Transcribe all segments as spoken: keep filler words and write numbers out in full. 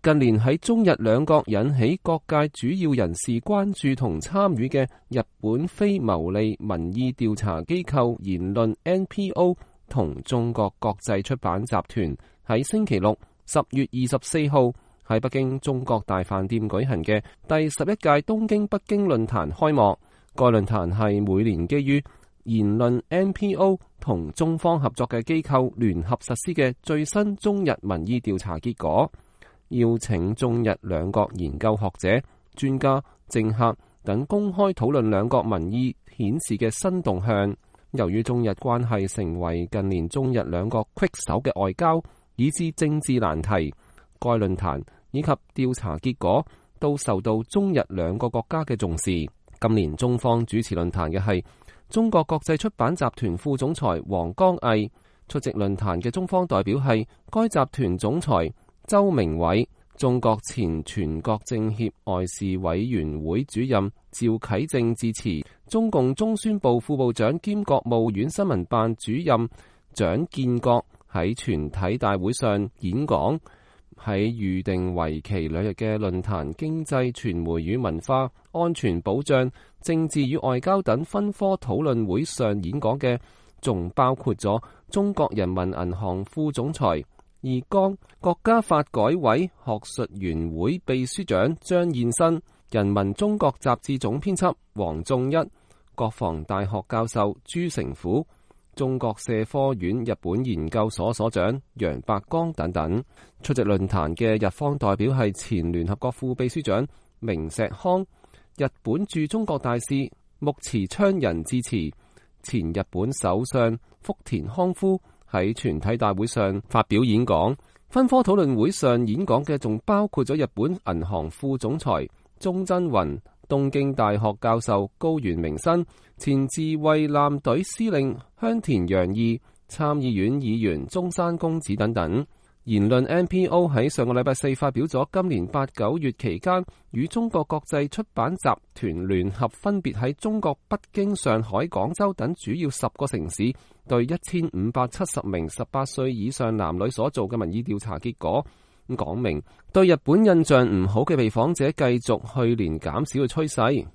近年喺中日兩國引起各界主要人士關注同參與嘅日本非牟利民意調查機構言論 N P O 同中國國際出版集團喺星期六十月二十四號喺北京中國大飯店舉行嘅第十一屆東京北京論壇開幕。該論壇係每年基於言論 N P O 同中方合作嘅機構聯合實施嘅最新中日民意調查結果，邀請中日兩國研究學者、專家、政客等公開討論兩國民意顯示嘅新動向。由於中日關係成為近年中日兩國棘手嘅外交以至政治難題，該論壇以及調查結果都受到中日兩個國家嘅重視。今年中方主持論壇嘅係中國國際出版集團副總裁王江毅，出席論壇嘅中方代表係該集團總裁周明偉、中國前全國政協外事委員會主任趙啟正致辭，中共中宣部副部長兼國務院新聞辦主任蔣建國喺全體大會上演講。喺預定為期兩日嘅論壇經濟、傳媒與文化、安全保障、政治與外交等分科討論會上演講嘅，仲包括咗中國人民銀行副總裁易綱、國家發改委學術員會秘書長張燕新、人民中國雜誌總編輯王仲一、國防大學教授朱成虎、中國社科院日本研究所所長楊伯江等等。出席論壇嘅日方代表係前聯合國副秘書長明石康、日本駐中國大使木池昌人致辭。前日本首相福田康夫喺全體大會上發表演講。分科討論會上演講嘅仲包括咗日本銀行副總裁中真雲、東京大學教授高原明新、前自衛艦隊司令香田洋二、參議院議員中山公子等等。言論 N P O 喺上個禮拜四發表咗今年八九月期間與中國國際出版集團聯合分別喺中國北京、上海、廣州等主要十個城市對一千五百七十名十八歲以上男女所做嘅民意調查結果，咁講明對日本印象唔好嘅被訪者繼續去年減少嘅趨勢，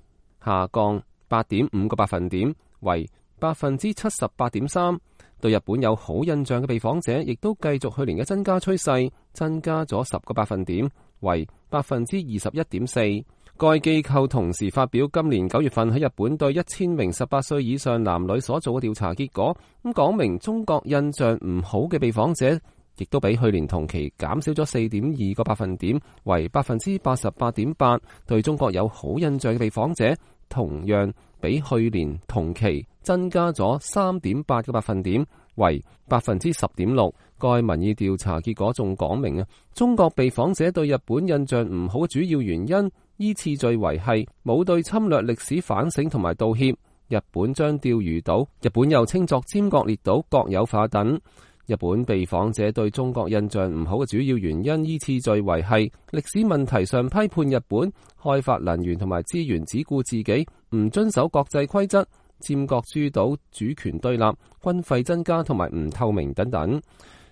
下降八點五個百分點為百分之七十八點三。對日本有好印象嘅被訪者亦都繼續去年嘅增加趨勢，增加咗十個百分點為百分之二十一點四。該機構同時發表今年九月份喺日本對一千名十八歲以上男女所做嘅調查結果，咁講明中國印象唔好嘅被訪者亦都比去年同期減少咗四點二個百分點為百分之八十八點八。對中國有好印象嘅被訪者同樣比去年同期增加咗三點八個百分點為百分之十點六。該民意調查結果仲講明啊，中國被訪者對日本印象唔好嘅主要原因依次序為係冇對侵略歷史反省同埋道歉，日本將釣魚島，日本又稱作尖閣列島國有化等。日本被訪者對中國印象唔好嘅主要原因依次序為係歷史問題上批判日本開發能源同埋資源只顧自己，唔遵守國際規則，尖閣諸島主權對立，軍費增加同埋唔透明等等。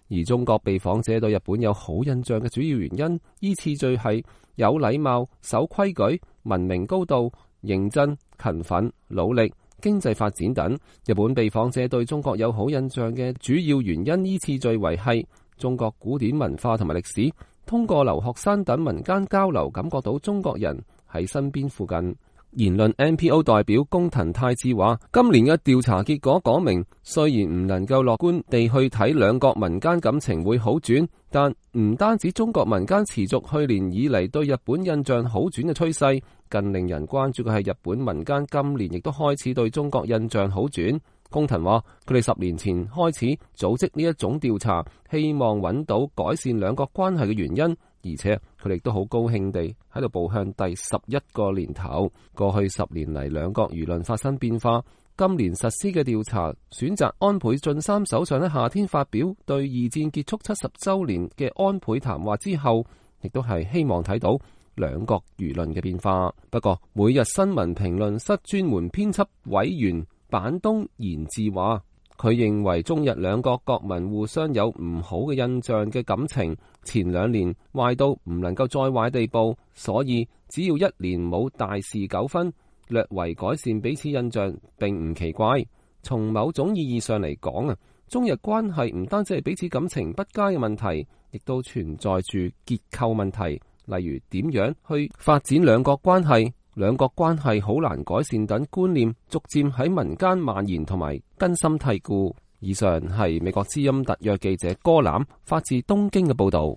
而中國被訪者對日本有好印象嘅主要原因依次序係有禮貌、守規矩、文明高度、認真、勤奮、努力、經濟發展等。日本被訪者對中國有好印象嘅主要原因依次序為係中國古典文化同埋歷史，通過留學生等民間交流感覺到中國人喺身邊附近。言論 N P O 代表工藤泰志話，今年嘅調查結果講明，雖然唔能夠樂觀地去睇兩國民間感情會好轉，但唔單止中國民間持續去年以嚟對日本印象好轉嘅趨勢，更令人關注嘅係日本民間今年亦都開始對中國印象好轉。工藤話，佢哋十年前開始組織呢一種調查，希望揾到改善兩國關係嘅原因。而且佢哋都好高興地喺度步向第十一個年頭。過去十年嚟，兩國輿論發生變化。今年實施嘅調查選擇安倍晉三首相喺夏天發表對二戰結束七十週年嘅安倍談話之後，亦都係希望睇到兩國輿論嘅變化。不過，每日新聞評論室專門編輯委員板東賢治話，佢認為中日兩國國民互相有唔好嘅印象嘅感情，前兩年壞到唔能夠再壞地步，所以只要一年冇大事糾紛，略為改善彼此印象並唔奇怪。從某種意義上嚟講啊，中日關係唔單止係彼此感情不佳嘅問題，亦都存在住結構問題，例如點樣去發展兩國關係、兩國關係好難改善等觀念，逐漸喺民間蔓延同埋根深蒂固。以上係美國之音特約記者柯欖發自東京嘅報道。